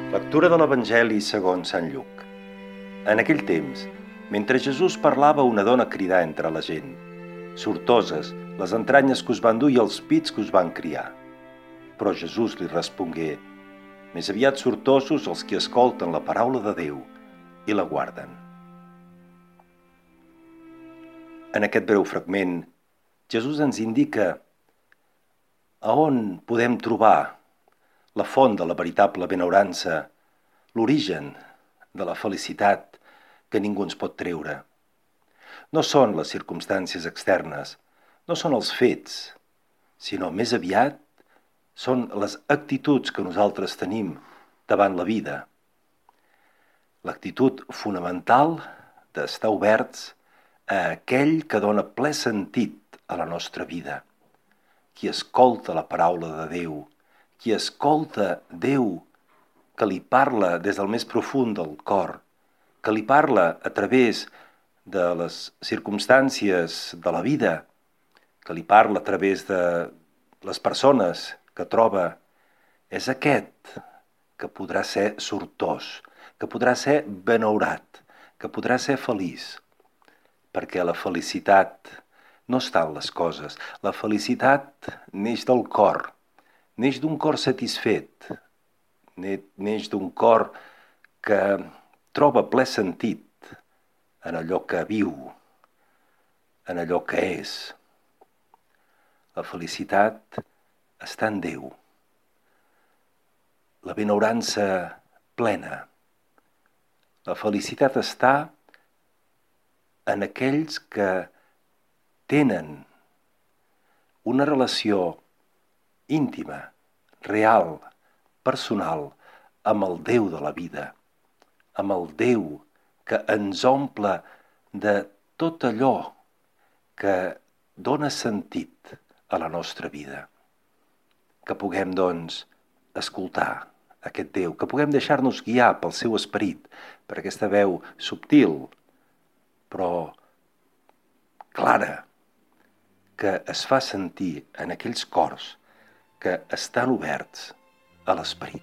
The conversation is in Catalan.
Lectura de l'Evangeli segons Sant Lluc. En aquell temps, mentre Jesús parlava, una dona cridà entre la gent: «Sortoses, les entranyes que us van dur i els pits que us van criar». Però Jesús li respongué: «Més aviat sortosos els que escolten la paraula de Déu i la guarden». En aquest breu fragment, Jesús ens indica a on podem trobar la font de la veritable benaurança, l'origen de la felicitat que ningú ens pot treure. No són les circumstàncies externes, no són els fets, sinó més aviat són les actituds que nosaltres tenim davant la vida. L'actitud fonamental d'estar oberts a aquell que dona ple sentit a la nostra vida. Qui escolta la paraula de Déu, qui escolta Déu que li parla des del més profund del cor, que li parla a través de les circumstàncies de la vida, que li parla a través de les persones que troba, és aquest que podrà ser sortós, que podrà ser benaurat, que podrà ser feliç. Perquè la felicitat no està en les coses. La felicitat neix del cor, neix d'un cor satisfet, neix d'un cor que troba ple sentit en allò que viu, en allò que és. La felicitat està en Déu. La benaurança plena. La felicitat està en aquells que tenen una relació íntima, real, personal, amb el Déu de la vida, amb el Déu que ens omple de tot allò que dona sentit a la nostra vida. Que puguem, doncs, escoltar aquest Déu, que puguem deixar-nos guiar pel seu esperit, per aquesta veu subtil, però clara, que es fa sentir en aquells cors que estan oberts a l'esperit.